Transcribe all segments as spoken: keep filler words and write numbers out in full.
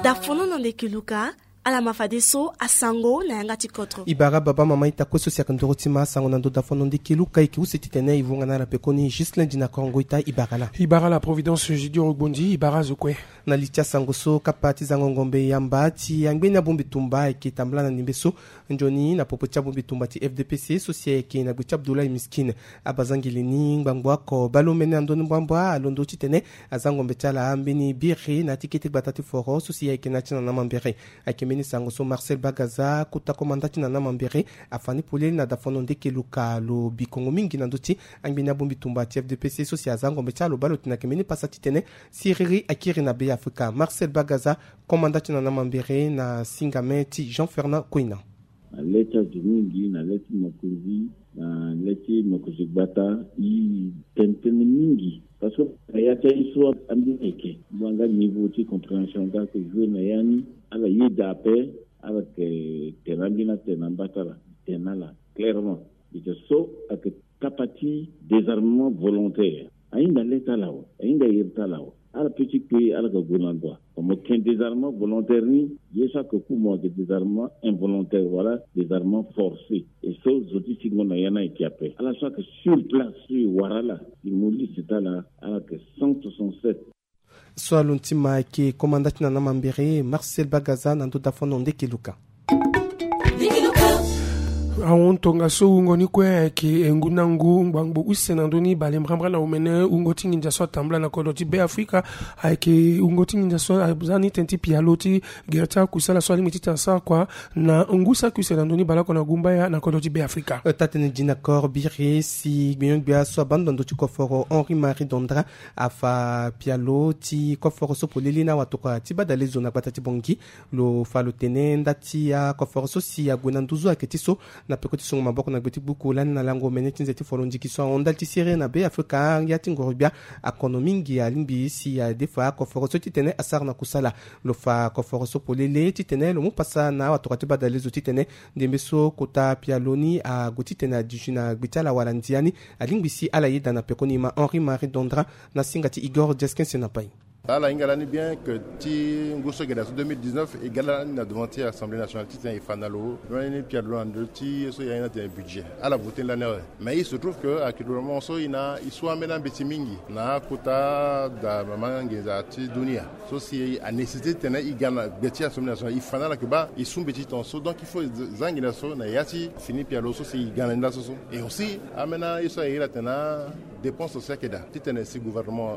Dafono na ndeke luka. Ala ma fadeso asango na yanga ti kodro. E bara baba mama ita kue so si ayeke ndoro ti ma asango na ndo dafono ndeke luka, e yeke use titene e vunga na ala pekoni Ghislain Dina Korongo ita, e bara la. E bara la Providence Judiro Gbondi, e bara azo kue. Na li ti asango so kapa ti zango ngombe yamba ti angbeni abongbi tumba ayeke tambula na ndembe so. Nzoni na popo ti abongbi tumba ti F D P C so si ayeke na gbe ti Abdoulaye Miskine, abazangeli ni ngbangbo oko baleomene na ndoni mbuambua alondo titene aza ngombe ti ala ambeni biri na ya ti kete gbata ti foro so si ayeke na ya ti nana mambere. Ayeke mbeni sango so Marcel Bagaza, kota komanda ti nana mambere, afa ni polele na dafono ndeke luka lo bikongo mingi na ndö ti angbeni abongbi tumba ti F D P C so si aza ngombe ti ala lo baa lo tene ayeke mbeni pasa titene siriri akiri na Be Afrika. Marcel Bagaza, komanda ti nana mambere na singame ti Jean Fernand Koina. Na le ti azo mingi, na le ti mokonzi, na le ti mokonzi gbata, e tene tënë mingi. Parce que na ya ti aye so ambeni ayeke, ngbanga niveau ti compréhension nga ayeke jouer na ya ni. Ala yeda ape, ala yeke tene ambeni atene na mba ti ala, tene na ala clairement. Ita so ayeke kapa ti désarmement volontaire. Ahinga le ti ala awe, ahinga iri ti ala awe. Ala peut ti kpe, ala yeke gue na ndo. Mo yeke désarmement volontaire ni, ye so ayeke ku mo ayeke désarmement involontaire wala désarmement forcé. E so zo ti singo na ya ni ayeke ape. Ala so ayeke sur place so e wara ala, e mu liste ti ala, ala yeke cent soixante-sept. So alondo ti ma ayeke komanda ti nana mambere Marcel Bagaza na ndo dafono ndeke luka. Ahon tongaso wungo ni kue ayeke ngu na ngu ngbangbo use na ndö ni bale mbrambra na omene wungo ti nginza so atambula na kodro ti Be Afrika. Ayeke wungo ti nginza so aza ni tënë ti pialo ti gere ti akusala so alingbi titene asara kua na ngu saki use na ndö ni baleoko na gumbaya na kodro ti Be Afrika. Taa-tënë Dina Kor biri si gbenyo-gbia so abaa ndo na ndö ti koforo Henri Marie Dondra afa pialo ti koforo so polele na awatokua ti badalezo na gbata ti Bangui. Lo fa lo tene nda ti akoforo so si ague na nduzu ayeke ti so na peko ti songo maboko na gbe ti gbuku lani na lango omene ti nze ti foro ndiki so ahon ndali ti siriri na Be Afrika. Ya ti ngoro-gbia akono mingi alingbi si adefa akoforo so titene asara na kusala. Lo fa koforo so polele titene lo mu pasa na awatokua ti badalezo titene ndembe so kota pialo ni ague titene aduti na gbe ti ala wala ndia ni, alingbi si ala yeda na pekoni ma Henri Marie Dondra na singa ti Igor Diaskin Senapai. Ala hinga lani bien que ti ngu so gere na so deux mille dix-neuf e ga lani na devant ti Assemblée nationale titene e fa na lo lani pialo na ndö ti ye so e airi ni atene budget. Ala voté ni lani awe. Mais il se trouve que actuellement so e na e su ambeni ambeti mingi na akota da mama nginza ti dunia. So si a nécessité titene e ga na gbe ti Assemblée nationale, e fa na ala yeke baa e su mbeti tongaso. Donc il faut za nginza so na ya ti fini pialo so si e ga na ni laso so. Et aussi ambeni aye so a iri atene na dépense so si ayeke daa titene si gouvernement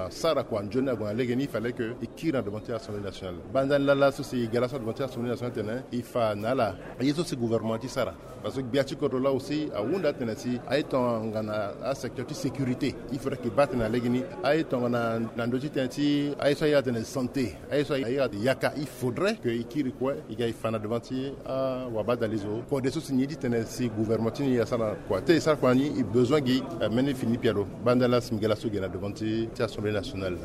asara kua nzoni ague na lege ni, il fallait que e kiri na devant ti Assemblée nationale. Banza ni laa laso si e ga laso na devant ti Assemblée nationale titene e fa na ala ye so si gouvernement ti sara. Parce que gbia ti kodro laa aussi ahunda atene si aye tongana asecteur ti sécurité, il faudrait que e baa tënë na lege ni. Aye tongana na ndö ti tënë ti aye so aye atene santé, aye so aye yaka, il faudrait que e kiri kue e ga e fa na devant ti awabadalezo kode so si ni ye ti tene si gouvernement ti ni asara kua. Te e sara kua ni e besoin gi mbeni fini pialo. Banza ni laa si mbi ga laso ge na devant ti Assemblée nationale.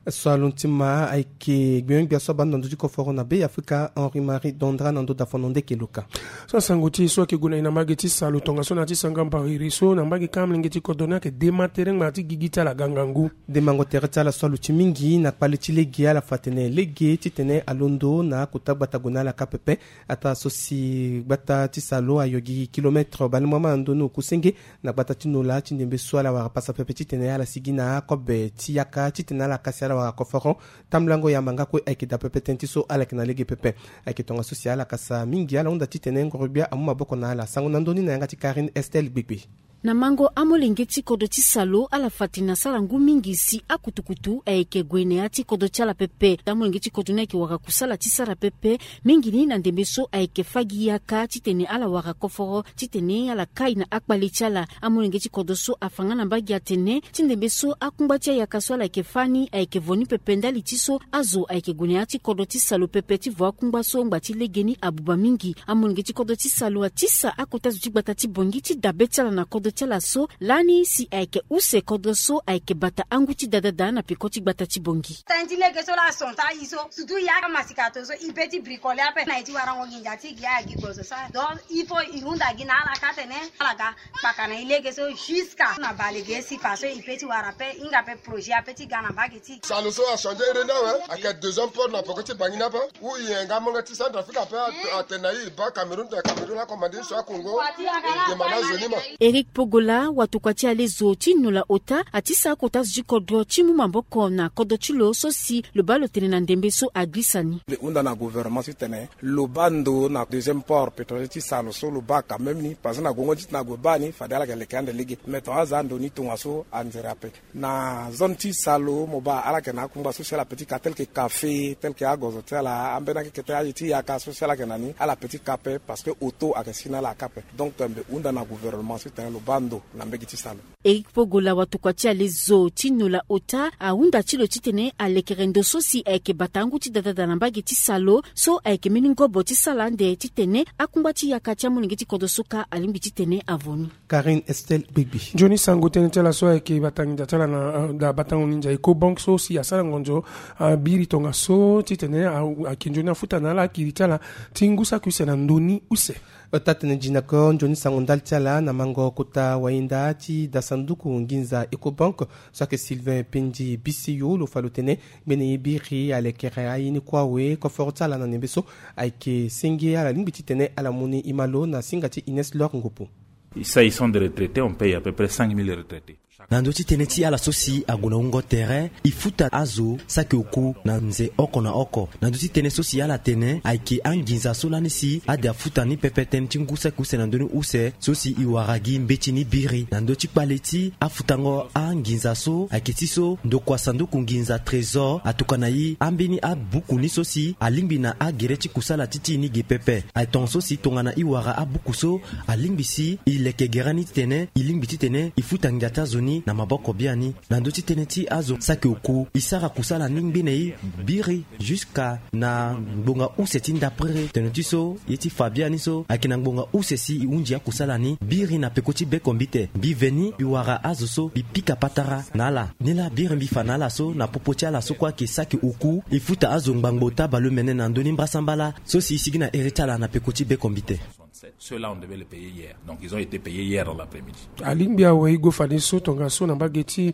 So alondo ti ma ayeke gbenyo-gbia so abaa ndo na ndö ti koforo na Be Afrika, Henri Marie Dondra na ndo dafono ndeke luka. So asango ti e so ayeke gue na e na mbage ti salo tongaso na ya ti sanga mbariri so na mbage kâ amolenge ti kodro ni ayeke dema tere ngbanga ti gigi ti ala ga ngangu. Demango tere ti ala so aluti mingi na kpale ti lege, ala fa atene lege titene alondo na akota gbata gue na ala kâ pepe. Ataa so si gbata ti salo ayo gi kilomètre balemuama na ndoni oku senge na gbata ti Nola ti ndembe so ala wara pasa pepe titene ala sigi na akobe ti yaka titene ala kasi ala wara koforo. Tambulango yamba nga kue ayeke daa pepe tënë ti so ala yeke na lege pepe. Ayeke tongaso si ala kasa mingi ala hunda titene ngoro-gbia amu maboko na ala. Sango na ndö ni na yanga ti Karine Estelle Gbegbe. Na mango amolenge ti kodro ti salo ala fa atene asara ngu mingi si akutukutu ayeke gue na ya ti kodro ti ala pepe. Amolenge ti kodro ni ayeke wara kusala ti sara pepe mingi ni na ndembe so ayeke fâ gi yaka titene ala wara koforo titene ala kai na akpale ti ala. Amolenge ti kodro so afa nga na mbage atene ti ndembe so akungba ti ayaka so ala yeke fâ ni ayeke voni pepe ndali ti so azo ayeke gue na ya ti kodro ti salo pepe ti vo akungba so ngbanga ti legeni abuba mingi. Amolenge ti kodro ti salo atisa akota zo ti gbata ti Bangui ti dabe ti ala na kodro ti ala so lani si ayeke use kodro so ayeke bata angu ti dadada na peko ti gbata ti Bongi. Tënë ti lege so laa son ta i so sutu ya ka masika to so i pe ti bricole ape na i ti warango nginza ti gi aya gi gozo sa donc il faut i hunda gi na ala ka tene ala ga kpaka na i lege so jusqu'à na bale ge si fa so i pe ti wara pe hinga pe projet ape ti ga na mbage ti. Salo so achangé ere ni awe. Ayeke deuxième port na peko ti bangi ni ape. Ou i yenga molenge ti Centrafrique ape. Atene na i i baa Cameroun tene Cameroun akomande i so akongo. I demande azo ni ma. Eric Pogola watokua ti ale zo ti nola ota ati sara kota zo ti kodro ti mu maboko na kodro ti lo so si lo baa lo tene na ndembe so agirisa ni. Mbi hunda na gouvernement titene lo baa ndo na deuxième port pétrolier ti salo so lo baa quand même ni parce que na gongo ti tena ague baa ni fade ala yeke leke ande lege mais tongaso aza ndo ni tongaso anzere ape. Na zone ti salo mo baa ala yeke na akungba so si ala pe ti ka tel ke café tel ke agozo ti ala ambeni akekete aye ti yaka so si ala yeke na ni ala pe ti ka pe parce que auto ayeke si na ala aka pe. Donc mbi hunda na gouvernement titene lo baa ndo na mbege ti salo. Eric Pogola watokua ti ale zo ti nola ota ahunda ti lo titene alekere ndo so si ayeke bata angu ti dadada na mbage ti salo so ayeke mbeni ngobo ti sala ande titene akungba ti yaka ti amolenge ti kodro so ka alingbi titene avo ni. Karine Estelle Gbegbi. Nzoni sango tënë ti ala so ayeke bata nginza ti ala na da batango nginza Ecobank so si asara ngonzo abiri tongaso titene ayeke nzoni afuta na ala akiri ti ala ti ngu saki use na ndoni use. Taa-tënë Jinakor nzoni sango ndali ti ala na mango kota wayenda ti da sanduku nginza Ecobank so ayeke Sylvain Pendi Biseyo lo fa lo tene ngbene ye biri alekere aye ni kue awe koforo ti ala na ndembe so ayeke senge ala lingbi titene ala mu ni e ma lo na singa ti Ines Lor Ngopo. S'agissant des retraités, on paye à peu près cinq mille retraités. Na ndö ti tënë ti ala so si ague na wungo tere e futa azo saki oku na nze oko na oko. Na ndö ti tënë so si ala tene ayeke anginza so lani si ade afuta ni pepe tënë ti ngu saki use na ndö ni use so si e wara gi mbeti ni biri na ndö ti kpale ti afutango anginza so ayeke ti so ndokua sanduku nginza trésor atokua na e ambeni abuku ni so si alingbi na agere ti kusala ti ti e ni ge pepe. Aye tongaso si tongana e wara abuku so alingbi si e leke gere ni titene e lingbi titene e futa nginza ti azo ni na maboko biani. Na ndö ti tënë ti azo saki oku e sara kusala ni ngbene e biri jusqu'à na ngbonga use ti ndapere tene ti so ye ti fa biani so ayeke na ngbonga use si e hunzi akusala ni biri na peko ti bekombite. Mbi veni mbi wara azo so mbi pika patara na ala. Ni laa biri mbi fa na ala so na popo ti ala so kue ayeke saki oku e futa azo ngbangbo taa baleomene na ndö ni mbrasambala so si e sigi na here ti ala na peko ti bekombite. Ceux-là, on devait les payer hier. Donc, ils ont été payés hier dans l'après-midi. Alingbi awe e gue fadeso tongaso na mbage ti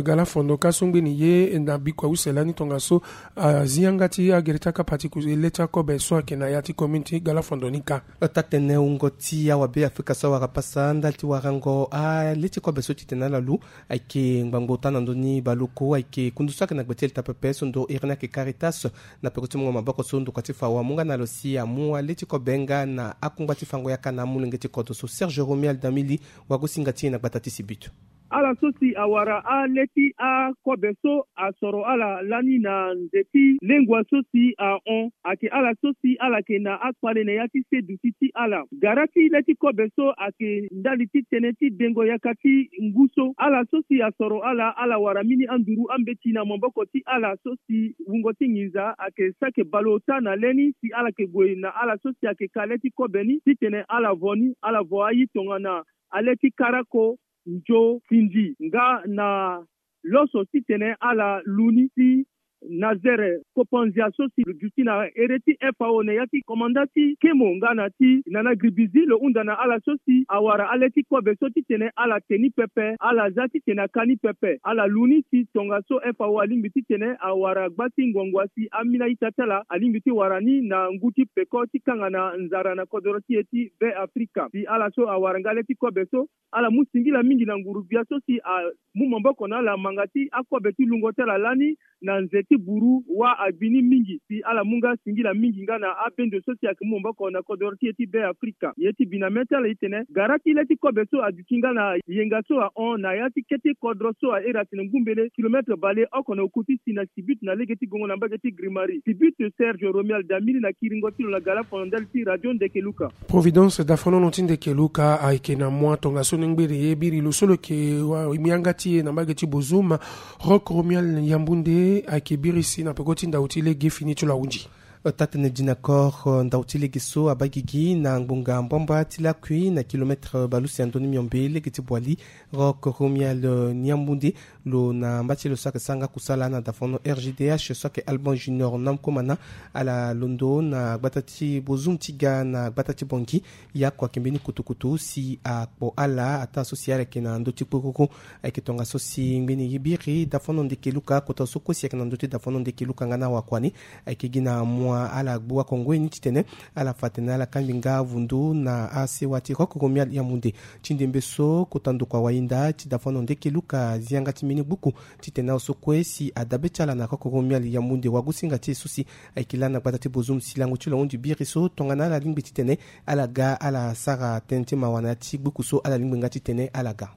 galafondo ka so ngbeni ye na bikua use lani tongaso azi yanga ti agere ti akapa ti ku le ti akobe so ayeke na ya ti commune ti galafondo ni ka. Taa-tënë wungo ti awabe afrika so awara pasa ndali ti warango ale ti kobe so titene ala lu ayeke ngbangbo ota na ndö ni baleoko ayeke kundu so ayeke na gbe ti elita pepe so ndo iri ni ayeke Caritas. Na peko ti mungo maboko so ndokua ti fa awamu nga na lo si amu ale ti kobe nga na akungba ti fango yaka na amolenge ti kodro so. Serge Romuald Damili wagosinga ti e na gbata ti Sibut. Ala so si awara ale ti akobe so asoro ala lani na nze ti lengua so si ahon ayeke ala so si ala yeke na akpale na ya ti se duti ti ala. Gara ti le ti kobe so ayeke ndali ti tënë ti dengo yaka ti ngu so. Ala so si asoro ala ala wara mbeni anduru ambeti na maboko ti ala so si wungo ti nginza ayeke sake baleota na le ni si ala yeke gue na ala so si ayeke ka le ti kobe ni titene ala vo ni ala vo aye tongana ale ti karako nzo findi nga na loso titene ala lu ni si Nazere Kopanzia so si lo duti na here ti F A O na ya ti komanda ti kemo nga na ti nana gribizi lo hunda na ala so si awara ale ti kobe so titene ala te ni pepe ala za titene aka ni pepe ala lu ni si tongaso F A O alingbi titene awara gba ti ngbongbonga si ambeni a-ita ti ala alingbi ti wara ni na ngu ti peko ti kanga na nzara na kodoro ti e ti Be Afrika si ala so awara nga le ti kobe so ala mu singila mingi na nguru-gbia so si amu maboko na ala manga ti akobe ti lungo ti ala lani na nze ti buru wa agbi ni mingi si ala mu nga singila mingi nga na abendo so si ayeke mu maboko na kodoro ti e ti Be Afrika. Ye ti bi na mê ti ala e tene gara ti le ti kobe so aduti nga na yenga so ahon na ya ti kete kodro so airi atene ngumbele kilometre baleoko na oku ti si na Sibut na lege ti gongo na mbage ti Grimari. Sibut, Serge Romuald Damili na kiringo ti lo na galafono ndali ti radio Ndeke Luka. Providence Dafonono ti Ndeke Luka ayeke na mua tongaso ni ngbene ye biri lo so lo yeke yanga ti e na mbage ti Bozoum. Rock Romuald Yambunde ayeke biri si na peko ti ndau ti lege fini ti lo ahunzi. Taa-tënë Dina Kor, ndau ti lege so abaa gigi na ngbonga mbamba ti lakui na kilometre baleuse ya ndoni miombe lege ti Boali, Rock Romial Niamunde, lo na mba ti lo so ayeke sara nga kusala na dafono R G D H so ayeke Alban Junior Namkomana, ala londo na gbata ti Bozoum ti ga na gbata ti Bangui. Ye oko ayeke mbeni kutukutu si akpo ala ataa so si ala yeke na ndö ti kpokoko. Ayeke tongaso si ngbeni ye biri dafono ndeke luka kota so kue si ayeke na ndö ti dafono ndeke luka nga na awakua ni. Ayeke gi na mua ala gbu akongo ye ni titene ala fa atene ala kangbi nga vundu na asewa ti Rock Romial Yaoundé. Ti ndembe so kota ndokua wayinda ti dafono ndeke luka zi yanga ti mbeni gbuku titene awe so kue si adabe ti ala na Rock Romial Yaoundé wagosinga ti e so si ayeke laa na gbata ti Bozoum si lango ti lo ahunzi biri so tongana ala lingbi titene ala ga ala sara tënë ti mawa na ya ti gbuku so ala lingbi nga titene ala ga.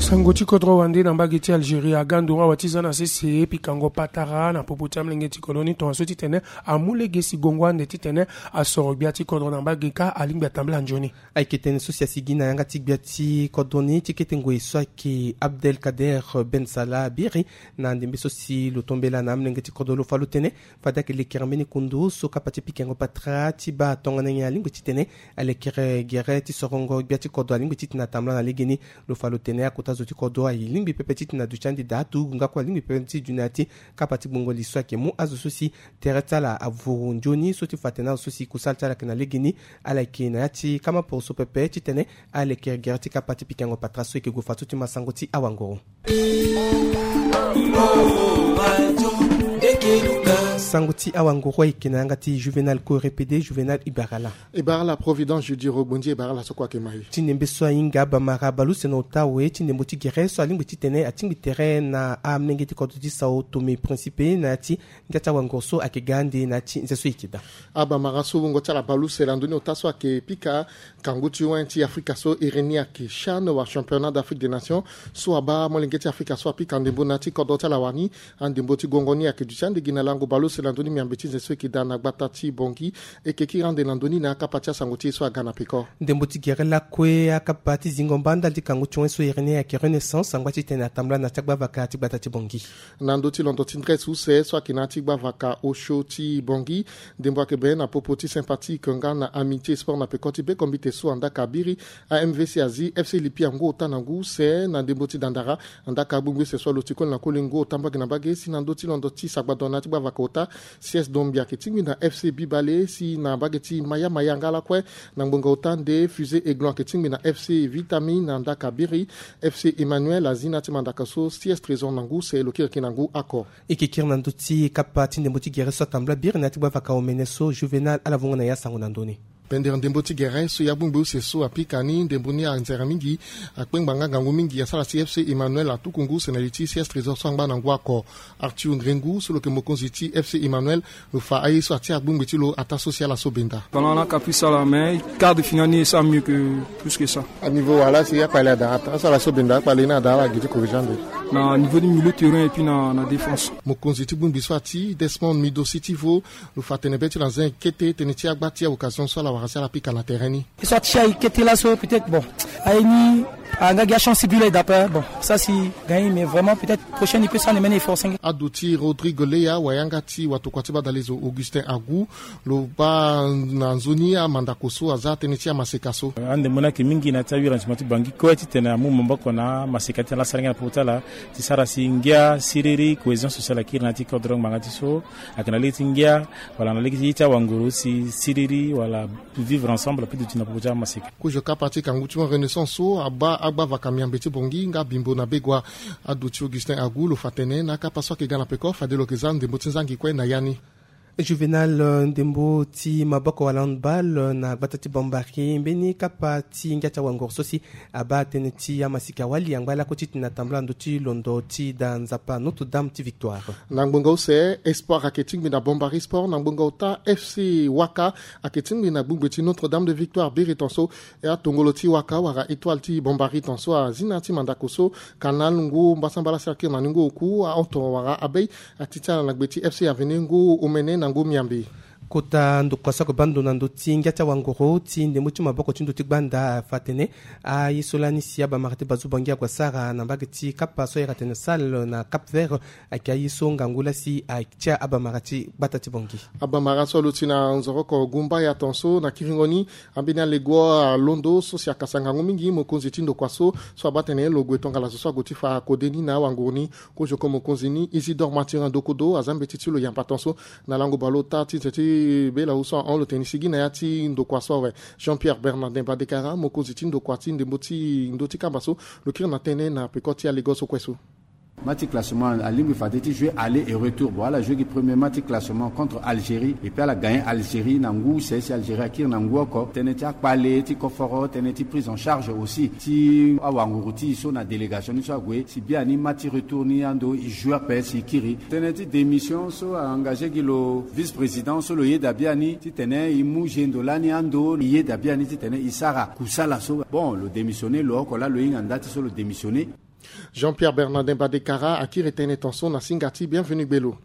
Sango ti kodro wande na mbage ti Algérie aga nduru awe ti za na sese pikango patara na popo ti amolenge ti kodro ni tongaso titene amu lege si gongo ande titene asoro gbia ti kodro na mbage ka alingbi atambula nzoni. Ayeke tënë so si asigi na yanga ti gbia ti kodro ni ti kete ngoi so ayeke Abdelkader Ben Salah biri na ndembe so si lo tombela na amolenge ti kodro lo fa lo tene fade ayeke lekere mbeni kundu so kapa ti pikango patara ti baa tongana nyen alingbi titene alekere gere ti sorongo gbia ti kodro alingbi titene atambula na legeni. Lo fa lo tene akota zo ti kodro alingbi pepe titene aduti ande daa turugu nga kue alingbi pepe ti dunia ti kapa ti gbongo li so ayeke mu azo so si tere ti ala avuru nzoni so ti fa atene azo so si kusala ti ala ayeke na legeni ala yeke na ya ti kama poroso pepe titene alekere gere ti kapa ti pikango patara so eke gue fadeso ti ma sango ti awanguru. Sango ti awanguru ayeke na yanga ti Juvenal Korepede, Juvenal Ibarala. Ibarala Providence Judiro Gbondi, Ibarala so kue ayeke ma e. Ti ndembe so ahinga abamara baleuse na ota awe ti ndembo ti gere so alingbi titene atingbi tere na amolenge ti kodro ti Sao Tome Principe na ya ti ngia ti awanguru so ayeke ga ande na ya ti nze so e yeke daa. Abamara so wungo ti ala baleuse lando ni ota so ayeke pika kangu ti wen ti Afrika so iri ni ayeke CHAN wala Championnat d'Afrique des Nations so abaa molenge ti Afrika so apika ndembo na ya ti kodro ti ala wani. Andembo ti gongo ni ayeke duti ande gi na lango baleuse lando ni miambe ti nze so e yeke daa na gbata ti Bangui. E yeke kiri ande na ndö ni na akapa ti asango ti e so aga na peko. Ndembo ti gere lakue akapa ti zingo mba ndali ti kangu ti wen so iri ni ayeke Renaissance angba titene atambula na ya ti agbavaka ti gbata ti Bangui. Na ndö ti londo ti ndresse use so ayeke na ya ti gbavaka osio ti Bangui. Ndembo ayeke bene na popo ti Sympathique nga na Amitié Sport na peko ti bekombite so andaka biri. A M V C azi F C Lipia ngu ota na ngu use na ndembo ti dandara. Andaka agbongbi use so alo ti koli na koli ngu ota mbage na mbage si na ndö ti londo ti sagbadon na ya ti gbavaka ota, C S Dombia ayeke tingbi na F C Bibale si na mbage ti Maya Maya nga lakue na ngbonga ota nde Fusée Aiglon ayeke tingbi na F C Vitamine na ndaka biri. F C Emmanuel azi na ya ti mandaka so C S Trésor na ngu use lo kiriki na ngu oko. E yeke kiri na ndö ti kapa ti ndembo ti gere so atambula biri na ya ti gbavaka omene so Juvenal ala vongo na ya sango na ndö ni. Pendere ndembo ti gere so ya gbongbi use so apika ni ndembo ni anzere mingi. Akpengba nga ngangu mingi asara si F C Emmanuel atuku ngu use na li ti C S Trésor so angba na ngu oko. Arthur Ngrengu so lo yeke mokonzi ti F C Emmanuel lo fa aye so atia agbongbi ti lo ataa so si ala so benda. Pendant la caprice ala mais quart de finale ni e sara mieux que plus que ça. Aniveau wala si akpale ada ata so ala so benda akpale ni ada ala gi ti corriger ande. Na niveau du milieu terrain et puis na, na défense. Mokonzi ti gbongbi so ati Desmond Mido Sitivo lo fa tene be ti lo na zen kete tënë ti agba ti aoccasion so ala wara si ala pika na terrain ni. E so atia e kete laso peut-être bon aye ni anga gi achance ti but la e da ape bon ça si gagne mais vraiment peut-être prochaine e peut sara na mbeni effort senge. Aduti Rodrigue Leya wayanga ti watokua ti badalezo Augustin Agu lo baa na nzoni amandako so aza tënë ti amaseka so. Andembo ni ayeke mingi na ya ti awiri na tima ti Bangui kue titene amu maboko na amaseka ti tene ala sara ngia na popo ti ala ti sara si ngia siriri cohésion sociale akiri na ya ti kodro ngbanga ti so ayeke na lege ti ngia wala na lege ti ye ti awanguru si siriri wala vivre ensemble apeduti na popo ti amaseka. Kozo kapa ti kangu ti wen Renaissance so abaa agbavaka miambe ti Bangui nga Bimbo na Begoua. Aduti Augustin Agu lo fa tene na akapa so ayeke ga na peko fade lo yeke za ndembo ti nzangi kue na ya ni. Juvenal, ndembo ti maboko wala handball na gbata ti Bambari mbeni kapa ti ngia ti awanguru so si abaa tënë ti amasika wali angba lakue titene atambula ndö ti londo ti da nzapa Notre Dame ti Victoire. Na ngbonga use Espoir ayeke tingbi na Bambari Sport na ngbonga ota F C Waka ayeke tingbi na gbongbe ti Notre Dame de Victoire biri tonso. E atongolo ti Waka wala Etoile ti Bambari tonso azi na ya ti mandako so Canal ngu mbasambala si akiri na ni ngu oku ahon tongo wala abei ati ti ala na gbe ti F C Avenir ngu omene na ngu miambe. Kota ndokua so ague bando na ndö ti ngia ti awanguru ti ndembo ti maboko ti ndö ti gbanda afa atene aye so lani si abamara ti bazu bangi ague asara na mbage ti kapa so ayeke atene sale na Cap Vert, ayeke aye so ngangu lasi atia abamara ti gbata ti bangi. Abamara so aluti na nzoroko gumbaya tonso na kiringo ni ambeni alego alondo so si akasa ngangu mingi mokonzi ti ndokua so, so abaa tene lo gue tongana zo so ague ti fa kode ni na awanguru ni. Kozo oko mokonzi ni Isidore Mathurin Dokodo aza mbeti ti lo yamba tonso na lango bale ota ti nze ti bela so ahon lo tene ni sigi na ya ti ndokua so awe. Jean-Pierre Bernardin Badekara, mokonzi ti ndokua ti ndembo ti ndö ti kamba so, lo kiri na tënë na peko ti alego so kue so. Match ti classement alingbi fade ti jouer aller et retour. Bon, ala jouer gi premier match ti classement contre Algérie et puis ala gagner Algérie na ngu use si Algérie akiri na ngu oko. Tënë ti akpale ti koforo, tënë ti prise en charge aussi ti awanguru ti e so na délégation ni so ague si biani match ti retour ni ando e jouer ape si e kiri. Tënë ti démission so a engagé gi lo vice-président so lo yeda biani titene e mu gendo lani ando e yeda biani titene e sara kusala so. Bon, lo démissionné, lo oko laa lo hinga nda ti so lo démissionné. Jean-Pierre Bernardin Badekara akiri tënë tonso na singa ti Bienvenu Gbelo.